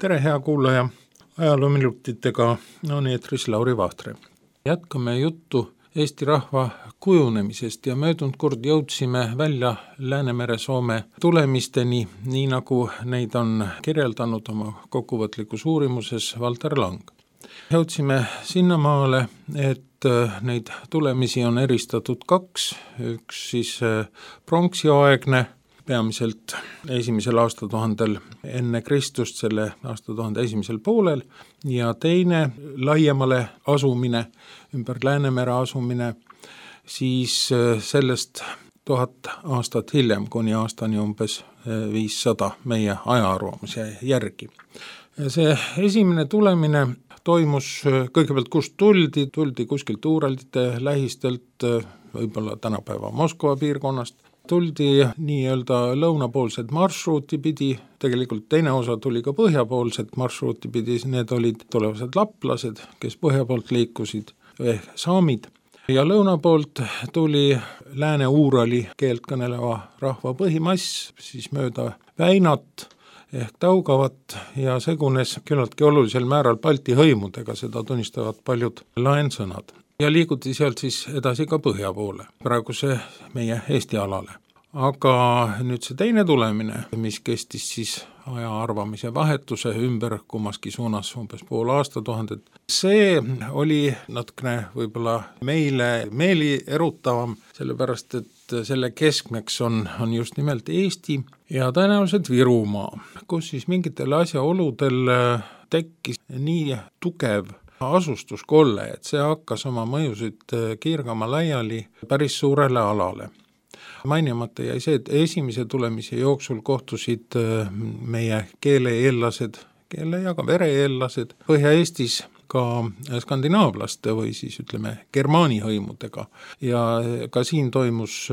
Tere, hea kuulaja! Ajaloominutitega on eetris Lauri Vahtre. Jätkame juttu Eesti rahva kujunemisest ja möödunud kord jõudsime välja Läänemere-Soome tulemisteni, nii nagu neid on kirjeldanud oma kokkuvõtlikus uurimuses Valter Lang. Jõudsime sinnamaale, et neid tulemisi on eristatud kaks, üks siis pronksiaegne, peamiselt esimesel aastatuhandel enne Kristust, selle aastatuhande esimesel poolel, ja teine laiemale asumine, ümber Läänemere asumine, siis sellest 1000 aastat hiljem, kuni aastani umbes 500 meie ajaarvamuse järgi. See esimene tulemine toimus kõigepealt, kust tuldi kuskilt Uuralite lähistelt, võib-olla tänapäeva Moskva piirkonnast, tuldi nii-öelda lõunapoolset marsruuti pidi, tegelikult teine osa tuli ka põhjapoolset marsruuti pidi, need olid tulevased laplased, kes põhja poolt liikusid, ehk saamid, ja lõuna poolt tuli Lääne-Uurali keelt kõneleva rahva põhimass, siis mööda Väinat ehk Taugavat ja segunes küllaltki olulisel määral Balti hõimudega, seda tunnistavad paljud laensõnad. Ja liiguti sealt siis edasi ka põhja poole, praeguse meie Eesti alale. Aga nüüd see teine tulemine, mis kestis siis aja arvamise vahetuse ümber kummaski suunas umbes pool aastatuhandet, see oli natukene võib-olla meile meeli erutavam, sellepärast et selle keskmeks on just nimelt Eesti ja tõenäoliselt Virumaa, kus siis mingitel asjaoludel tekkis nii tugev asustuskolle, et see hakkas oma mõjusid kiirgama laiali päris suurele alale. Mainimata jäi see, et esimese tulemise jooksul kohtusid meie keele-eellased, keele- ja ka vere-eellased Põhja-Eestis ka skandinaavlaste või siis ütleme germaani hõimudega ja ka siin toimus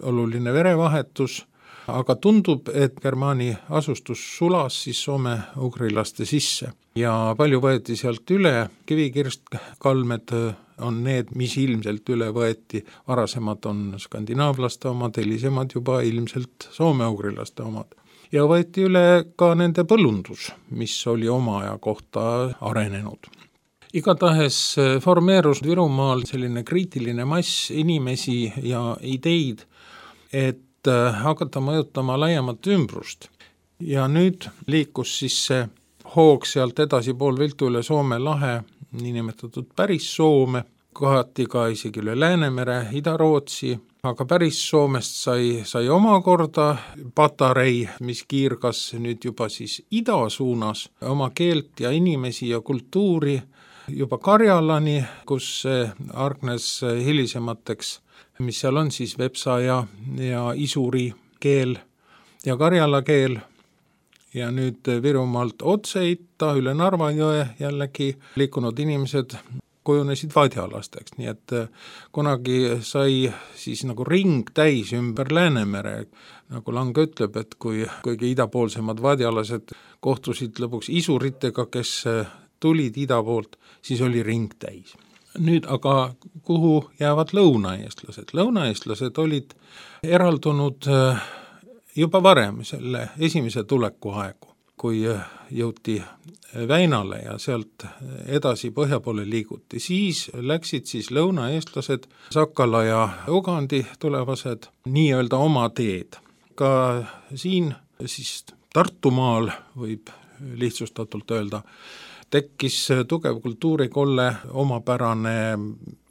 oluline verevahetus, aga tundub, et germaani asustus sulas siis soome-ugrilaste sisse ja palju võeti sealt üle, kivikirstkalmed on need, mis ilmselt üle võeti, varasemad on skandinaavlaste omad, hilisemad juba ilmselt soome-ugrilaste omad. Ja võeti üle ka nende põllundus, mis oli oma aja kohta arenenud. Igatahes formeerus Virumaal selline kriitiline mass inimesi ja ideid, et hakata mõjutama laiemat ümbrust. Ja nüüd liikus siis see hoog sealt edasi pool viltu üle Soome lahe, niinimetatud päris Soome, kohati ka isegi üle Läänemere, Ida-Rootsi, aga päris Soomest sai omakorda patarei, mis kiirgas nüüd juba siis ida suunas oma keelt ja inimesi ja kultuuri juba Karjalani, kus see argnes hilisemateks, mis seal on siis vepsa ja isuri keel ja karjala keel. Ja nüüd Virumaalt otse itta üle Narva jõe jällegi liikunud inimesed kujunesid vadjalasteks, nii et kunagi sai siis nagu ring täis ümber Läänemere, nagu Lang ütleb, et kui kõige idapoolsemad vadjalased kohtusid lõpuks isuritega, kes tulid ida poolt, siis oli ring täis. Nüüd aga kuhu jäävad lõunaeestlased? Lõunaeestlased olid eraldunud juba varem selle esimese tuleku aegu, kui jõuti Väinale ja sealt edasi põhja poole liiguti. Siis läksid siis lõunaeestlased, Sakala ja Ugandi tulevased, nii-öelda oma teed. Ka siin siis Tartumaal võib lihtsustatult öelda, tekkis tugev kultuurikolle, omapärane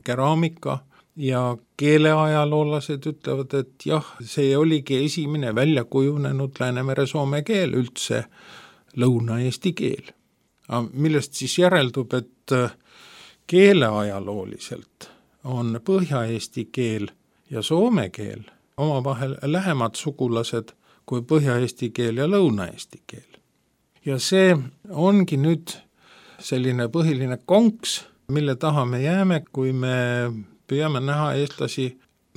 keraamika ja keeleajaloolased ütlevad, et jah, see oligi esimene välja kujunenud Läänemere-Soome keel, üldse lõuna-eesti keel. Millest siis järeldub, et keeleajalooliselt on põhja-eesti keel ja soome keel omavahel lähemad sugulased kui põhja-eesti keel ja lõuna-eesti keel. Ja see ongi nüüd selline põhiline konks, mille taha me jääme, kui me püüame näha eestlasi,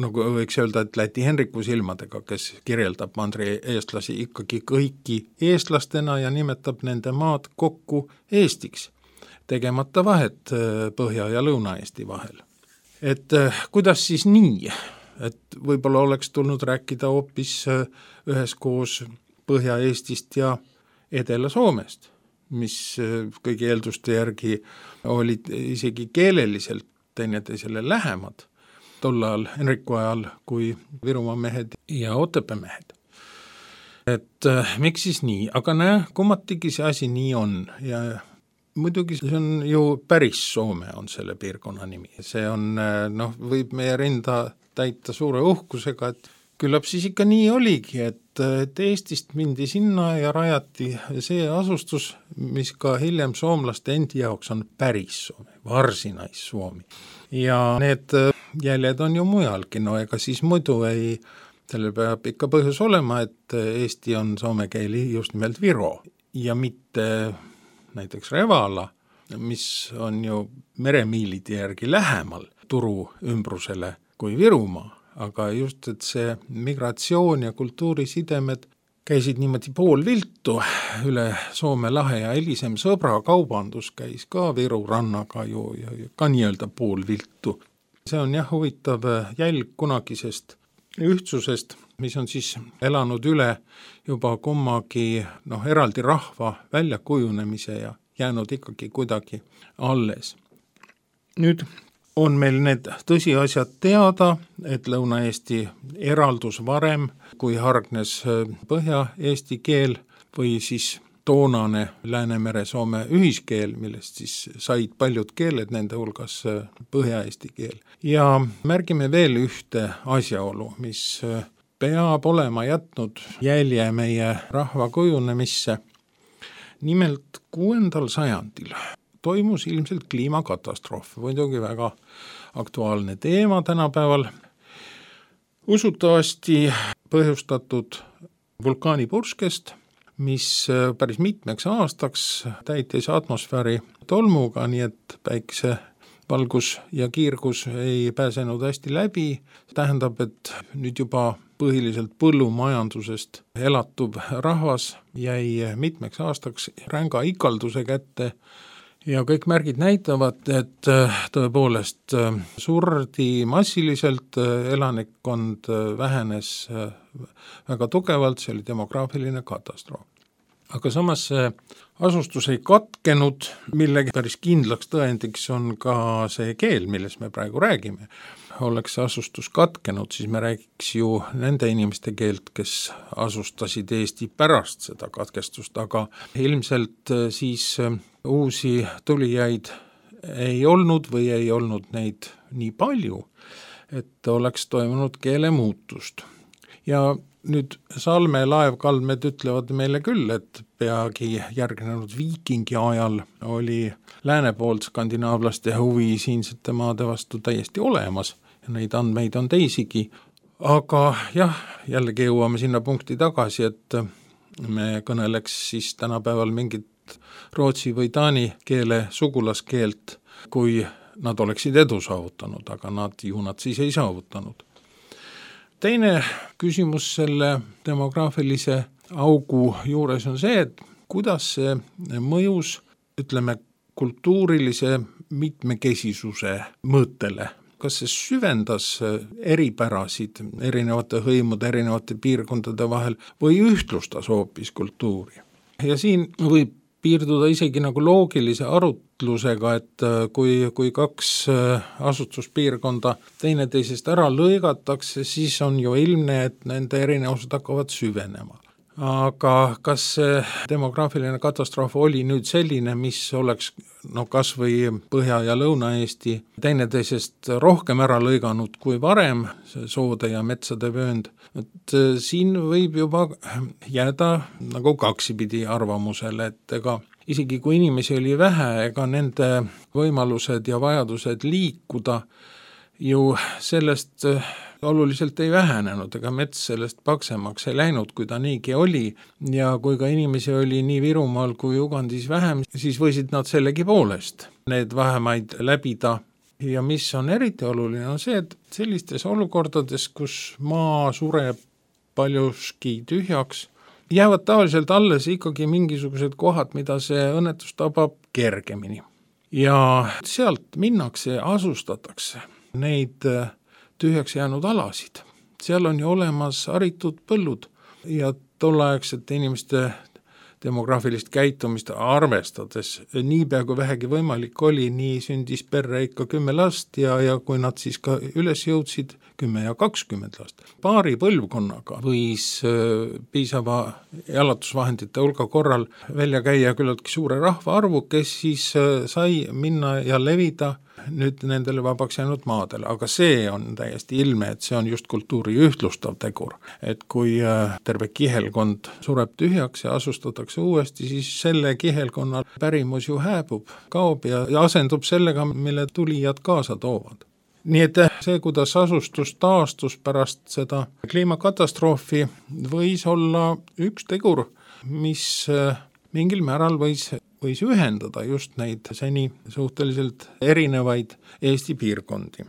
nagu võiks öelda, et Läti Henriku silmadega, kes kirjeldab mandri eestlasi ikkagi kõiki eestlastena ja nimetab nende maad kokku Eestiks, tegemata vahet Põhja- ja Lõuna-Eesti vahel. Et kuidas siis nii? Et võib-olla oleks tulnud rääkida hoopis üheskoos Põhja-Eestist ja Edela-Soomest. mis kõigi eelduste järgi olid isegi keeleliselt teineteisele lähemad tol ajal, Henriku ajal, kui Virumaa mehed ja Otepää mehed. Et miks siis nii, aga kummatigi see asi nii on ja muidugi see on ju päris Soome on selle piirkonna nimi. See on, võib meie rinda täita suure uhkusega, et küllap siis ikka nii oligi, et Eestist mindi sinna ja rajati see asustus, mis ka hiljem soomlaste endi jaoks on päris Soome, Varsinais-Suomi. Ja need jäljed on ju mujalgi, ega siis muidu sellel peab ikka põhjus olema, et Eesti on soome keeli just nimelt Viro ja mitte näiteks Revala, mis on ju meremiilide järgi lähemal Turu ümbrusele kui Virumaa, aga just, et see migratsioon ja kultuurisidemed käisid niimoodi poolviltu üle Soome lahe ja hilisem sõbrakaubandus käis ka Viru rannaga ju ka nii-öelda poolviltu. See on jah huvitav jälg kunagisest ühtsusest, mis on siis elanud üle juba kummagi eraldi rahva väljakujunemise ja jäänud ikkagi kuidagi alles. Nüüd on meil need tõsiasjad teada, et Lõuna-Eesti eraldus varem, kui hargnes Põhja-Eesti keel või siis toonane Läänemere-Soome ühiskeel, millest siis said paljud keeled, nende hulgas Põhja-Eesti keel. Ja märgime veel ühte asjaolu, mis peab olema jätnud jälje meie rahva kujunemisse. Nimelt 6. sajandil toimus ilmselt kliimakatastroof, muidugi väga aktuaalne teema tänapäeval. Usutavasti põhjustatud vulkaanipurskest, mis päris mitmeks aastaks täitis atmosfääri tolmuga, nii et päikse valgus ja kiirgus ei pääsenud hästi läbi. Tähendab, et nüüd juba põhiliselt põllumajandusest elatuv rahvas jäi mitmeks aastaks ränga ikalduse kätte. Ja kõik märgid näitavad, et tõepoolest surdi massiliselt, elanikkond vähenes väga tugevalt, see oli demograafiline katastroof. Aga samas see asustus ei katkenud, millegi päris kindlaks tõendiks on ka see keel, millest me praegu räägime. Oleks see asustus katkenud, siis me räägiks ju nende inimeste keelt, kes asustasid Eesti pärast seda katkestust, aga ilmselt siis uusi tulijaid ei olnud või ei olnud neid nii palju, et oleks toimunud keelemuutust. Ja nüüd Salme laevkaldmed ütlevad meile küll, et peagi järgnenud viikingi ajal oli lääne poolt skandinaavlaste huvi siinsete maade vastu täiesti olemas ja neid andmeid on teisigi. Aga jah, jällegi jõuame sinna punkti tagasi, et me kõneleks siis tänapäeval mingit rootsi või taani keele sugulaskeelt, kui nad oleksid edu saavutanud, aga nad siis ei saavutanud. Teine küsimus selle demograafilise augu juures on see, et kuidas see mõjus, ütleme, kultuurilise mitmekesisuse mõõtele. Kas see süvendas eripärasid erinevate hõimude, erinevate piirkondade vahel või ühtlustas hoopis kultuuri? Ja siin võib piirduda isegi nagu loogilise arutlusega, et kui kaks asustuspiirkonda teineteisest ära lõigatakse, siis on ju ilmne, et nende erinevused hakkavad süvenema. Aga kas see demograafiline katastroof oli nüüd selline, mis oleks kas või Põhja- ja Lõuna-Eesti teineteisest rohkem ära lõiganud kui varem, see soode ja metsade vöönd, et siin võib juba jääda nagu kaksipidi arvamusele, et ega isegi kui inimesi oli vähe, ega nende võimalused ja vajadused liikuda ju sellest oluliselt ei vähenenud, ega mets sellest paksemaks ei läinud, kui ta niigi oli, ja kui ka inimesi oli nii Virumaal kui Ugandis vähem, siis võisid nad sellegi poolest need vahemaid läbida. Ja mis on eriti oluline, on see, et sellistes olukordades, kus maa sureb paljuski tühjaks, jäävad tavaliselt alles ikkagi mingisugused kohad, mida see õnnetus tabab kergemini. Ja sealt minnakse ja asustatakse neid tühjaks jäänud alasid. Seal on ju olemas haritud põllud ja tolleaegsete inimeste demograafilist käitumist arvestades niipea kui vähegi võimalik oli, nii sündis perre ikka 10 last ja kui nad siis ka üles jõudsid, 10 ja 20 last. Paari põlvkonnaga võis piisava elatusvahendite hulga korral välja käia küllaltki suure rahvaarvu, kes siis sai minna ja levida nüüd nendele vabaks jäänud maadele, aga see on täiesti ilme, et see on just kultuuri ühtlustav tegur. Et kui terve kihelkond sureb tühjaks ja asustatakse uuesti, siis selle kihelkonna pärimus ju hääbub, kaob ja asendub sellega, mille tulijad kaasa toovad. Nii et see, kuidas asustus taastus pärast seda kliimakatastroofi, võis olla üks tegur, mis mingil määral võis ühendada just neid seni suhteliselt erinevaid Eesti piirkondi.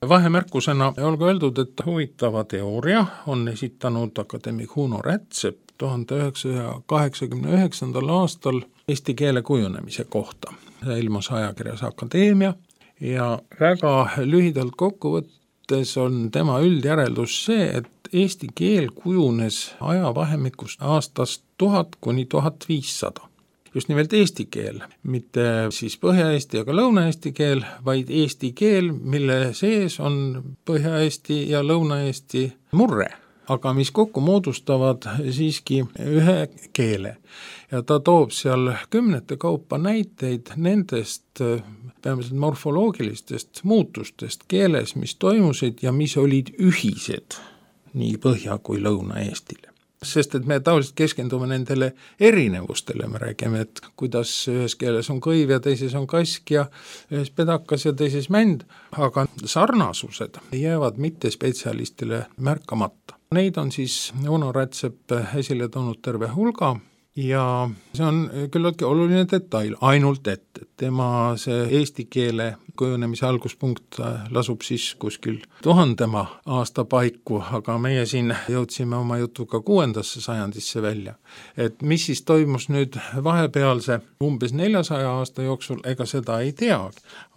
Vahemärkusena olgu öeldud, et huvitava teooria on esitanud akadeemik Uno Rätsep 1989. aastal eesti keele kujunemise kohta. See ilmus ajakirjas Akadeemia ja väga lühidalt kokkuvõttes on tema üldjäreldus see, et eesti keel kujunes ajavahemikust aastast 1000 kuni 1500. Just nimelt eesti keel, mitte siis Põhja-Eesti ega Lõuna-Eesti keel, vaid eesti keel, mille sees on Põhja-Eesti ja Lõuna-Eesti murre, aga mis kokku moodustavad siiski ühe keele. Ja ta toob seal 10 kaupa näiteid nendest peamiselt morfoloogilistest muutustest keeles, mis toimusid ja mis olid ühised nii Põhja- kui Lõuna-Eestile. Sest et me tavaliselt keskendume nendele erinevustele, me räägime, et kuidas ühes keeles on kõiv ja teises on kask ja ühes pedakas ja teises mänd, aga sarnasused jäävad mitte spetsialistile märkamata. Neid on siis Uno Rätsep esile toonud terve hulga ja see on küllaltki oluline detail, ainult et tema see eesti keele kujunemise alguspunkt lasub siis kuskil 1000 aasta paiku, aga meie siin jõudsime oma jutuga 6. sajandisse välja. Et mis siis toimus nüüd vahepealse umbes 400 aasta jooksul, ega seda ei tea,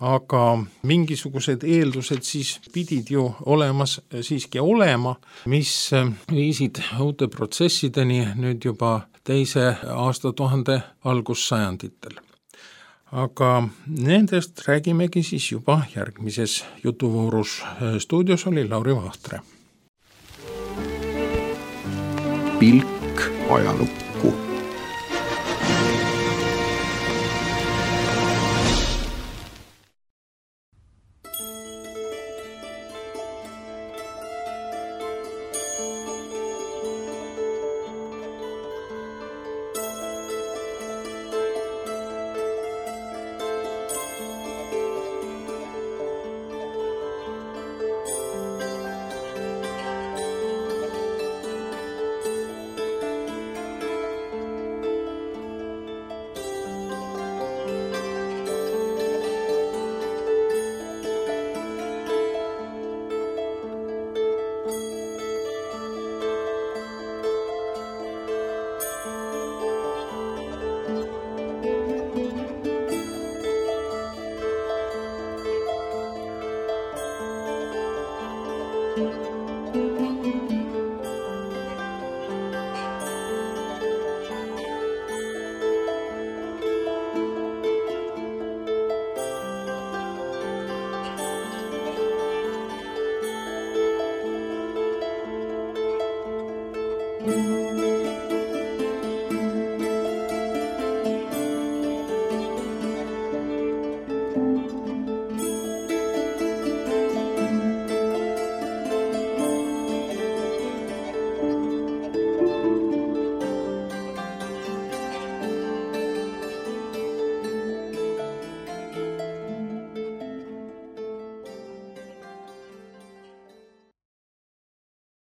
aga mingisugused eeldused siis pidid ju siiski olema, mis viisid uute protsessideni nüüd juba 2. aastatuhande algussajanditel. Aga nendest räägimegi siis juba järgmises jutuvoorus. Stuudios oli Lauri Vahtre. Pilk ajalukku.